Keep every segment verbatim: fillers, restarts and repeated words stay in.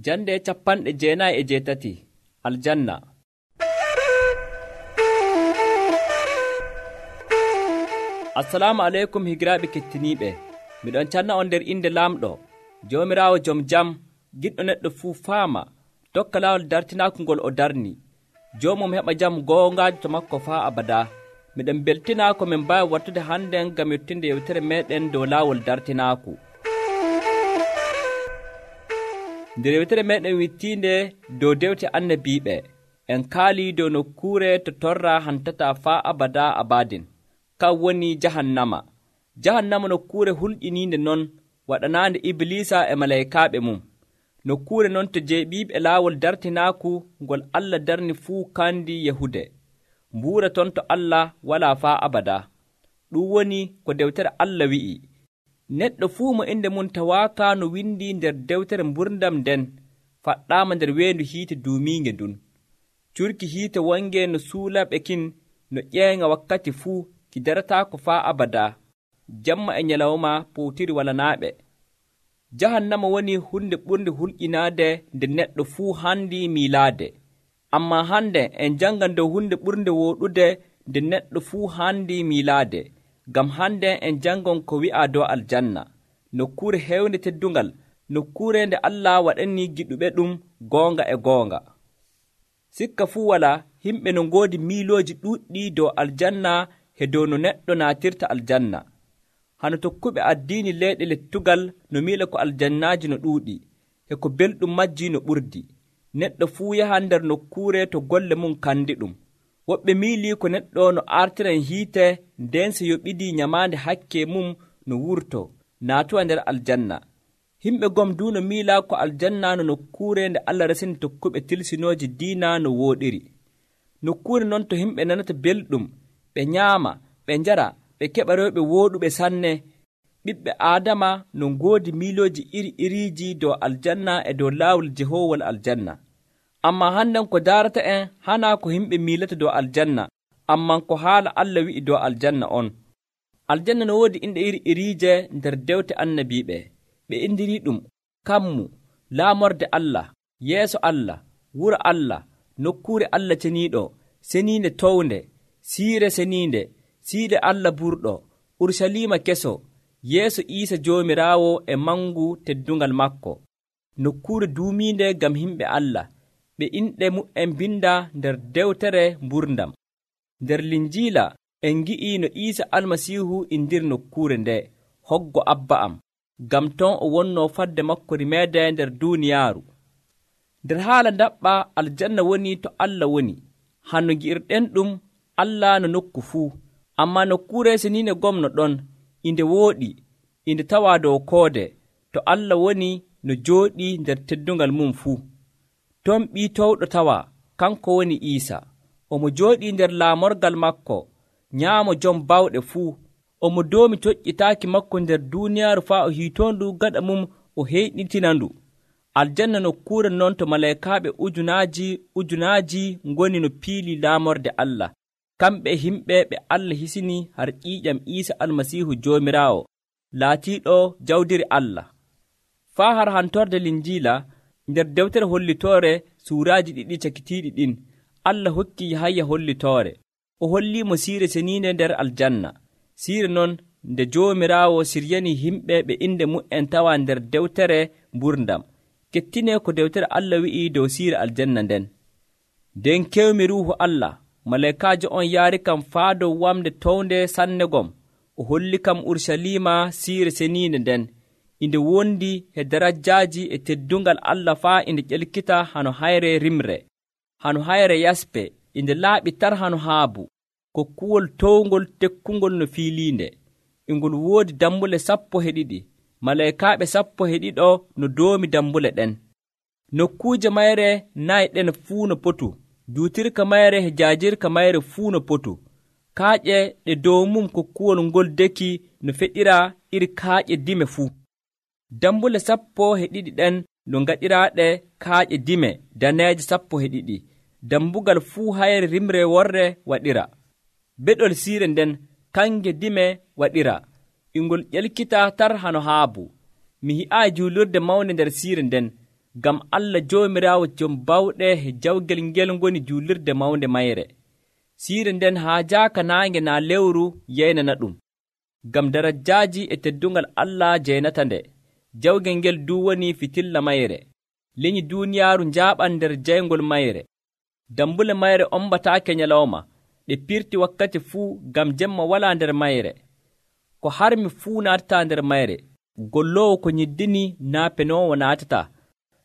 Jande capanɗe jeenayi e jeetati aljanna. Assalamu aleykum higiraaɓe kettiniiɓe. Miɗon canna on nder inde laamɗo Joomiraawo jom jam, giɗɗo neɗɗo fuu faama tokka laawol dartinaaku ngol o darni. Joomum heɓa jam goongaajo to makko faa abada. Miɗen beltinaa ko min mbaawi wattude hannden ngam yettinde yewtere meeɗen dow laawol dartinaaku. Nder yewtere meeɗen wittiinde dow dewte annabiiɓe, en kaalii dow nokkuure to torra hantataa faa abada abadin, kan woni jahannama. Jahannama nokkuure hulƴiniinde non waɗanaande Ibliisa e malaykaaɓe mum. Nokkuure non to jeeɓiiɓe laawol dartinaaku ngol Allah darni fuu kandi Yahude. Mbuura ton to Allah walaa faa abada. Ɗum woni ko dewtere Allah wi'i. Neɗɗo fuu mo inde mum tawaaka no windi nder dewtere mburdam nden faɗɗaama nder weendu hiite duumiinge ndun. Curki hiite wonge no suulaɓe kin no ƴeeŋa wakkati fuu ki darataako faa abada. Jamma e nyalawma powtiri walanaaɓe. Jahannama woni hunde ɓurde hulƴinaade nde neɗɗo fuu handi miilaade. Ammaa hande en jangan dow hunde ɓurde wooɗude nde neɗɗo fuu handi miilaade. Ngam hande en jangon ko wi'a dow aljanna, nokkuure hewnde teddungal, nokkuure nde Allah waɗani giɗuɓe ɗum goonga e goonga. Sikka fuu wala himɓe no ngoodi miilooji ɗuuɗɗi dow aljanna he dow no neɗɗo naatirta aljanna. Hano tokkuɓe addiini leyɗe lettugal no miila ko aljannaaji no ɗuuɗi, e ko belɗum majji no ɓurdi. Neɗɗo fuu yahan nder nokkuure to golle mum kandi ɗum. Woɓɓe miilii ko neɗɗo no artiran hiite nden so yoɓidii nyamaande hakke mum no wurto naatuwa nder aljanna. Himɓe gom du no miilaa ko aljanna no nokkuure nde Allah resini tokkuɓe tilsinooji diina no wooɗiri. Nokkuure non to himɓe nanata belɗum, ɓe nyaama, ɓe njara, ɓe keɓa rewɓe wooɗuɓe sanne. Ɓiɓɓe Aadama no ngoodi miilooji iri iriiji dow aljanna e dow laawol jehoowol aljanna. Ammaa hannden ko daarata en hanaa ko himɓe miilata dow aljanna, amman ko haala Allah wi'i dow aljanna on. Aljanna no woodi inɗe iri iriije nder dewte annabiiɓe. Ɓe indirii ɗum kammu, laamorde Allah, yeeso Allah, wuro Allah, nokkuure Allah ceniiɗo, seniinde townde, siire seniinde, siide Allah burɗo, Ursaliima keso, yeeso Iisa Joomiraawo e mangu teddungal makko, nokkuure duumiinde ngam himɓe Allah. Ɓe inɗe mu'en binda nder dewtere mburdam. Nder Linjiila en ngi'i no Iisa Almasiihu indir nokkuure nde, hoggo Abba am, ngam ton o wonnoo fadde makko rimeede nder duuniyaaru. Nder haala ndaɓɓa aljanna woni to Allah woni. Hanno ngi'irɗen ɗum Allah no nokku fuu, ammaa nokkuure seniinde gomno ɗon, inde wooɗi, inde tawaa dow koode, to Allah woni no jooɗii nder teddungal mum fuu. Ton ɓii towɗo tawa, kanko woni Iisa. Omo jooɗii nder laamorgal makko, nyaamo jom bawɗe fuu. Omo doomi toƴƴitaaki makko nder duuniyaaru faa o hiitoondu gaɗa mum o heyɗitinandu. Aljanna nokkuure non to malaykaaɓe ujunaaji ujunaaji ngoni no piili laamorde Allah. Kamɓe himɓe ɓe Allah hisini har ƴiiƴam Iisa Almasiihu Joomiraawo, laatiiɗo jawdiri Allah. Faa har hantorde Linjiila, nder dewtere hollitoore suuraaji ɗiɗi cakitiiɗi ɗin, Allah hokki Yahaya hollitoore. O holliimo siire seniinde nder aljanna. Siire non nde Joomiraawo siryani himɓe ɓe inde mu'en tawa nder dewtere mburdam. Kettinee ko dewtere Allah wi'i dow siire aljanna nden. Nden kewmi ruuhu Allah, malaykaajo on yaari kam faa dow wamde townde sanne gom. O holli kam Ursaliima siire seniinde nden. Inde wondi e darajjaaji e teddungal Allah faa inde ƴelkita hano hayre rimre, hano hayre yaspe, inde laaɓi tar hano haabu, kokkuwol towngol tekkungol no fiiliinde. Ingol woodi dambule sappo e ɗiɗi, malaykaaɓe sappo e ɗiɗo no doomi dambule ɗen. Nokkuuje mayre nayi ɗen fuu no potu, duutirka mayre e jaajirka mayre fuu no potu. Kaaƴe ɗe dow mum kokkuwol ngol deki no feɗira iri kaaƴe dime fuu. Dambule sappo e ɗiɗi ɗen no ngaɗiraaɗe kaaƴe dime daneeje sappo e ɗiɗi, dambugal fuu hayre rimre worre waɗira. Beɗol siire nden kange dime waɗira, ingol ƴelkita tar hano haabu. Mi hi'aayi juulirde mawnde nder siire nden, ngam Allah Joomiraawo jom bawɗe e jawgel ngel ngoni juulirde mawnde mayre. Siire nden haa jaaka naange naa lewru yeynana ɗum, ngam darajaaji e teddungal Allah jeynata nde. Jawgel ngel du woni fitilla mayre. Leñi duuniyaaru njaaɓan nder jayngol mayre. Dambule mayre ombataake nyalawma, ɗe pirti wakkati fuu, ngam jemma walaa nder mayre. Ko harmi fuu naatataa nder mayre. Golloowo ko nyiddini naa penoowo naatataa.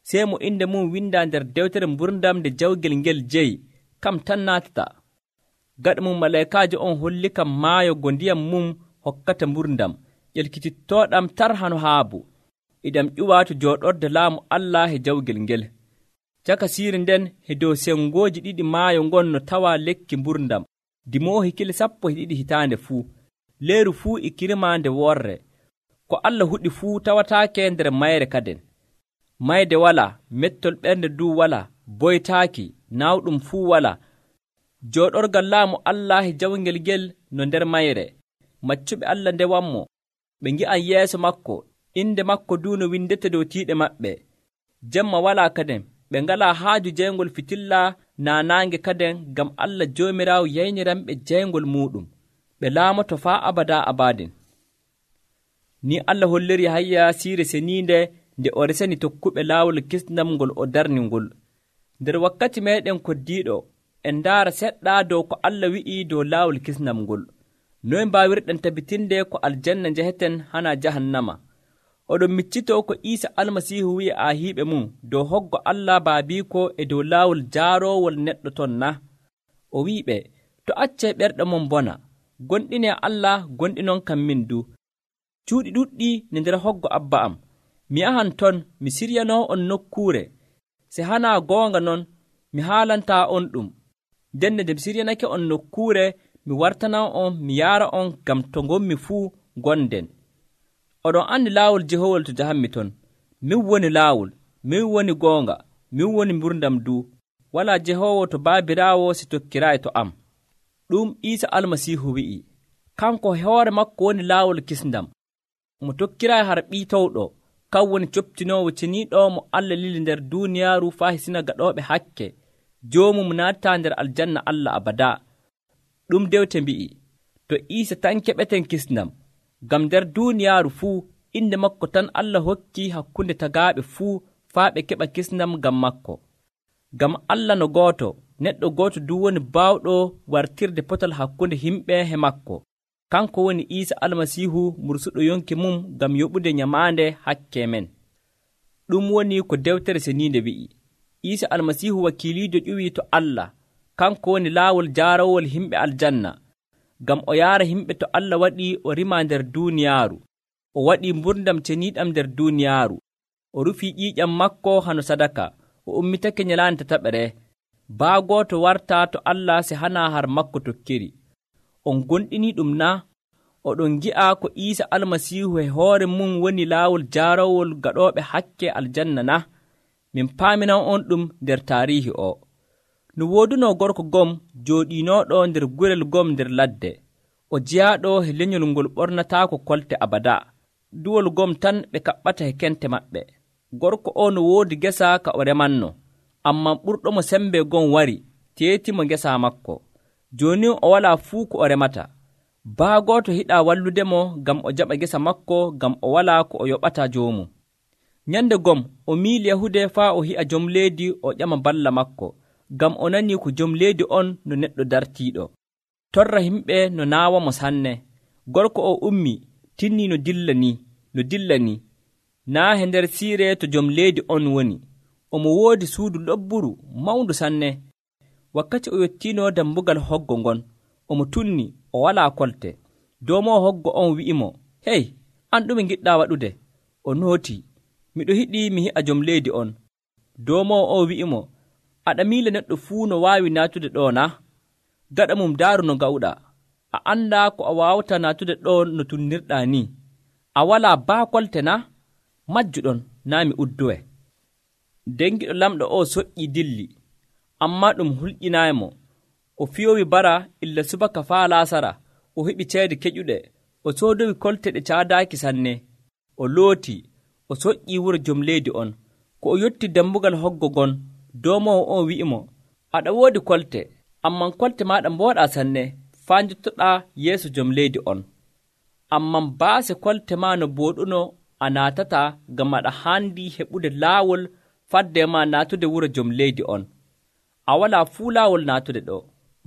Sey mo inde mum windaa nder dewtere mburdam nde jawgel ngel jeyi, kam tan naatataa. Gaɗa mum malaykaajo on holli kam maayo go ndiyam mum hokkata mburdam, ƴelkitittooɗam tar hano haabu. Iɗam ƴuwaa to jooɗorde laamu Allah e jawgel ngel. Caka siire nden he dow sengooji ɗiɗi maayo ngon no tawaa lekki mburdam, dimoohi kile sappo e ɗiɗi hitaande fuu. Leeru fuu e kirmaa nde worre. Ko Allah huɗi fuu tawataake nder mayre kaden. Mayde walaa, mettol ɓernde duu walaa, boytaaki, naawɗum fuu walaa. Jooɗorgal laamu Allah e jawgel ngel no nder mayre. Maccuɓe Allah ndewanmo, ɓe ngi'an yeeso makko, inde makko duu no windete dow tiiɗe maɓɓe. Jemma walaa kaden, ɓe ngalaa haaju jayngol fitilla naa naange kaden, ngam Allah Joomiraawo yayniranɓe jayngol muuɗum. Ɓe laamoto faa abadaa abadin. Ni Allah holliri Yahaya siire seniinde nde o resani tokkuɓe laawol kisnam ngol o darni ngol. Nder wakkati meeɗen koddiiɗo, en ndaara seɗɗa dow ko Allah wi'i dow laawol kisnam ngol. Noy mbaawirɗen tabitinde ko aljanna njeheten hana jahannama? Oɗon miccitoo ko Iisa Almasiihu wi'i aahiiɓe mum dow hoggo Allah baabiiko e dow laawol jaaroowol neɗɗo ton na? O wi'iɓe, to accee ɓerɗe mon bona, gonɗinee Allah gonɗinon kam min du. Cuuɗi ɗuɗɗi ne nder hoggo Abba am. Mi yahan ton, mi siryanoo on nokkuure. Se hanaa goonga non, mi haalantaa on ɗum. Ndenne nde mi siryanake on nokkuure, mi wartanan on, mi yaara on ngam to ngonmi fuu gonden. Oɗon andi laawol jehowol to jahanmi ton. Min woni laawol, min woni goonga, min woni mburdam du. Walaa jehowo to baabiraawo si tokkiraayi to am. Ɗum Iisa Almasiihu wi'i. Kanko hoore makko woni laawol kisndam. Mo tokkiraayi har ɓiitowɗo, kan woni coptinoowo ceniiɗo mo Allah lili nder duuniyaaru faa hisina gaɗooɓe hakke. Joomum naatataa nder aljanna Allah abadaa. Ɗum dewte mbi'i, to Iisa tan keɓeten kisndam, ngam nder duuniyaaru fuu inde makko tan Allah hokki hakkunde tagaaɓe fuu faa ɓe keɓa kisndam ngam makko. Ngam Allah no gooto, neɗɗo gooto du woni baawɗo wartirde potal hakkunde himɓe he makko. Kanko woni Iisa Almasiihu mursuɗo yonki mum ngam yoɓude nyamaande hakke men. Ɗum woni ko dewtere seniinde wi'i. Iisa Almasiihu wakiiliijo ƴuwii to Allah. Kanko woni laawol jaarawol himɓe aljanna, ngam o yaara himɓe to Allah waɗi o rima nder duuniyaaru. O waɗi mburdam ceniiɗam nder duuniyaaru. O rufii ƴiiƴam makko hano sadaka. O ummitake nyalaande tataɓere. Baa gooto wartaa to Allah se hanaa har makko tokkiri. On gonɗinii ɗum na? Oɗon ngi'a ko Iisa Almasiihu e hoore mum woni laawol jaarawol gaɗooɓe hakke aljanna na? Min paaminan on ɗum nder taariihi o. No woodunoo gorko gom jooɗiinooɗo nder gurel gom nder ladde. O jeyaaɗo he lenyol ngol ɓornataako kolte abadaa. Duwol gom tan ɓe kaɓɓata he kente maɓɓe. Gorko o no woodi gesa ka o remanno, ammaa ɓurɗo mo sembe gom wari, teetimo ngesa makko. Jooni o walaa fuu ko o remata. Baa gooto hiɗaa walludemo ngam o jaɓa gesa makko, ngam o walaa ko o yoɓata joomum. Nyande gom o miili yahude faa o hi'a jom leydi o ƴama balla makko, ngam o nanii ko jom leydi on no neɗɗo dartiiɗo. Torra himɓe no naawamo sanne. Gorko o ummi, tinnii no dilla ni, no dilla ni. Naa he nder siire to jom leydi on woni. Omo woodi suudu lobburu mawndu sanne. Wakkati o yettiino dambugal hoggo ngon, omo tunni o walaa kolte. Doomoo hoggo on wi'imo, hey, an ɗume ngiɗɗaa waɗude? O nooti, miɗo hiɗii mi hi'a jom leydi on. Doomoo o wi'imo, aɗa miila neɗɗo fuu no waawi naatude ɗo na? Gaɗa mum daaru no gawɗaa. A anndaa ko a waawata naatude ɗo no tunnirɗaa ni. A walaa baa kolte na? Majjuɗon naa mi uddowe. Dengiɗo lamɗo o soƴƴii dilli, ammaa ɗum hulƴinaaymo. O fiyowi bara illa subaka faa laasara. O heɓi ceede keƴuɗe. O soodowi kolte ɗe caadaaki sanne. O looti, o soƴƴii wuro jom leydi on. ko o yotti dambugal hoggo ngon, doomowo on wi'imo, aɗa woodi kolte, amman kolte maaɗa mbooɗaa sanne, faa njottoɗaa yeeso jom leydi on. Amman baase kolte maa no booɗuno a naatataa ngam aɗa haandi heɓude laawol fadde maa naatude wuro jom leydi on. A walaa fuu laawol naatude ɗo.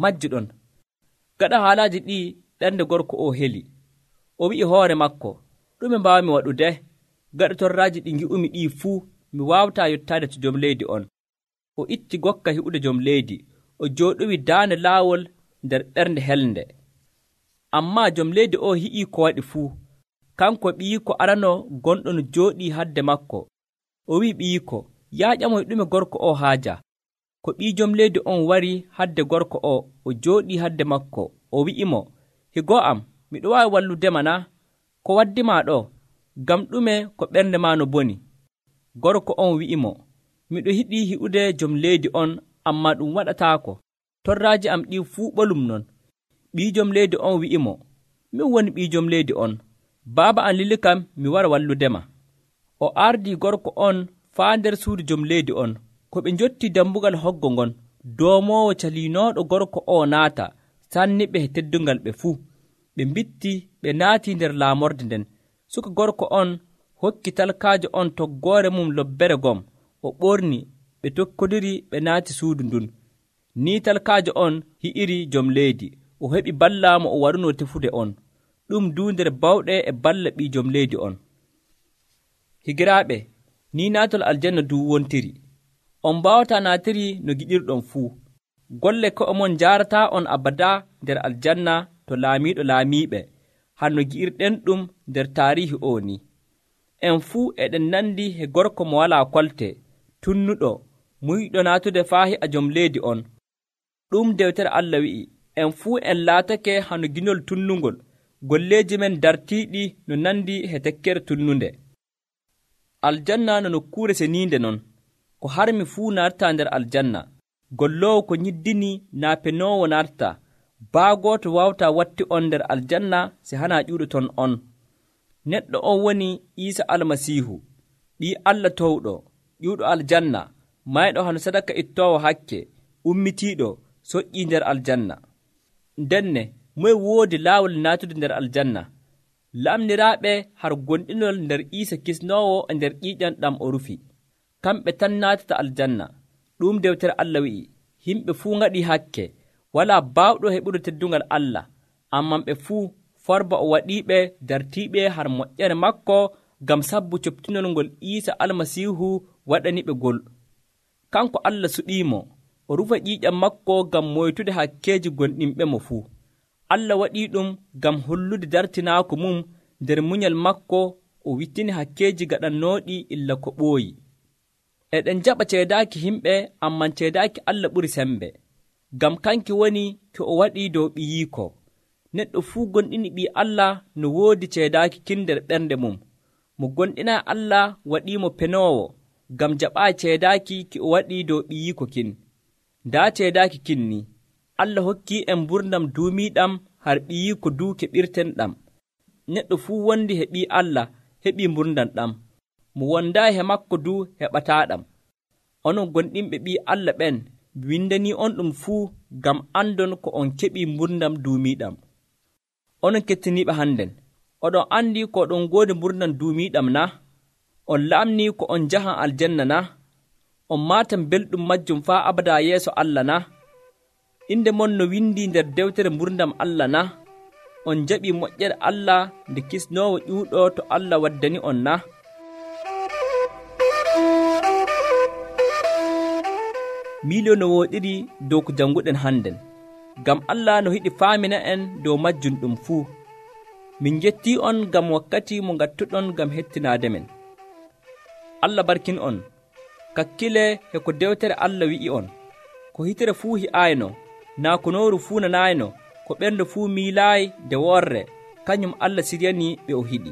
Majjuɗon. Gaɗa haalaaji ɗii ɓernde gorko o heli. O wi'i hoore makko, ɗume mbaawmi waɗude? Gaɗa torraaji ɗi ngi'umi ɗii fuu, mi waawataa yottaade to jom leydi on. O itti gokka hi'ude jom leydi, o jooɗowi daande laawol nder ɓernde helnde. Ammaa jom leydi o hi'ii ko waɗi fuu. Kanko ɓiyiko arano gonɗo no jooɗii hadde makko. O wi'i ɓiyiko, yaa ƴamoy ɗume gorko o haaja. Ko ɓii jom leydi on wari hadde gorko o, o jooɗii hadde makko. O wi'imo, higo am, miɗo waawi walludema na? Ko waddimaa ɗo? Ngam ɗume ko ɓernde maa no boni? Gorko on wi'imo, miɗo yiɗii hi'ude jom leydi on, ammaa ɗum waɗataako. Torraaji am ɗii fuu ɓolum non. Ɓii jom leydi on wi'imo, min woni ɓii jom leydi on. Baaba am lili kam mi wara walludema. O ardii gorko on faa nder suudu jom leydi on. Ko ɓe njotti dambugal hoggo ngon, doomoowo caliinooɗo gorko o naata, sanni ɓe he teddungal ɓe fuu. Ɓe mbitti ɓe naatii nder laamorde nden. Suka gorko on hokki talkaajo on toggoore mum lobbere gom. O ɓorni, ɓe tokkodiri ɓe naati suudu ndun. Ni talkaajo on hi'iri jom leydi. O heɓi ballaamo o waruno tefude on. Ɗum duu nder bawɗe e balla ɓii jom leydi on. Higiraaɓe, ni naatol aljanna duu wontiri. On mbaawataa naatiri no giɗirɗon fuu. Golle ko'e mon njaarataa on abadaa nder aljanna to laamiiɗo laamiiɓe, hanno gi'irɗen ɗum nder taariihi o ni. En fuu eɗen nandi he gorko mo walaa kolte, tunnuɗo, muyɗo naatude faa hi'a jom leydi on. Ɗum dewtere Allah wi'i, en fuu en laatake hano ginol tunnungol, golleeji men dartiiɗi no nandi he tekkere tunnunde. Aljanna no nokkuure seniinde non, ko harmi fuu nartaa nder aljanna. Golloowo ko nyiddini naa penoowo nartaa. Baagooto waawtaa watti on nder aljanna si hanaa ƴuuɗoton on. Neɗɗo on woni Iisa Almasiihu, ɓii Allah towɗo, ƴuuɗo aljanna, mayɗo hano sadaka ittoowo hakke, ummitiiɗo, soƴƴii nder aljanna. Ndenne, moye woodi laawol naatude nder aljanna? Lamniraaɓe har gonɗinol nder Iisa kisnoowo e nder ƴiiƴam ɗam o rufi. Kamɓe tan naatata aljanna. Ɗum dewtere Allah wi'i, yimɓe fuu ngaɗii hakke, walaa baawɗo heɓude teddungal Allah, amman ɓe fuu forba o waɗiiɓe dartiiɓe har moƴƴere makko ngam sabbu coptinol ngol Iisa Almasiihu waɗaniɓe gol. Kanko Allah suɗiimo, o rufa ƴiiƴam makko ngam moytude hakkeeji gonɗinɓe mo fuu. Allah waɗii ɗum ngam hollude dartinaako mum nder munyal makko, o wittini hakkeeji gaɗannooɗi illa ko ɓooyi. Eɗen jaɓa ceedaaki himɓe, amman ceedaaki Allah ɓuri sembe. Ngam kanki woni ko o waɗii dow ɓiyiiko. Neɗɗo fuu gonɗini ɓii Allah no woodi ceedaaki kin nder ɓernde mum. Mo gonɗinaa Allah waɗiimo penoowo, ngam jaɓaa ceedaaki ki o waɗii dow ɓiyiiko kin. Ndaa ceedaaki kin ni, Allah hokkii en mburdam duumiiɗam har ɓiyiiko duu keɓirtenɗam. Neɗɗo fuu wondi he ɓii Allah heɓii mburdam ɗam. Mo wondaayi he makko duu heɓataaɗam. Onon gonɗinɓe ɓii Allah ɓen, windanii on ɗum fuu ngam andon ko on keɓii mburdam duumiiɗam. Onon kettiniiɓe hannden, oɗon anndi ko oɗon ngoodi mburdam duumiiɗam na? On laamnii ko on njahan aljanna na? On maatan belɗum majjum faa abadaa yeeso Allah na? Inde mon no windii nder dewtere mburdam Allah na? On jaɓii moƴƴere Allah nde kisnoowo ƴuuɗo to Allah waddani on na? Miilio no wooɗiri dow ko jannguɗen hannden, ngam Allah no yiɗi faamina en dow majjum ɗum fuu. Min njettii on ngam wakkati mo ngattuɗon ngam hettinaade men. Allah barkin on. Kakkile he ko dewtere Allah wi'i on. Ko hitere fuu hi'aayno, naa ko nooru fuu nanaayno, ko ɓernde fuu miilaayi nde worre, kañum Allah siryanii ɓe o hiɗi.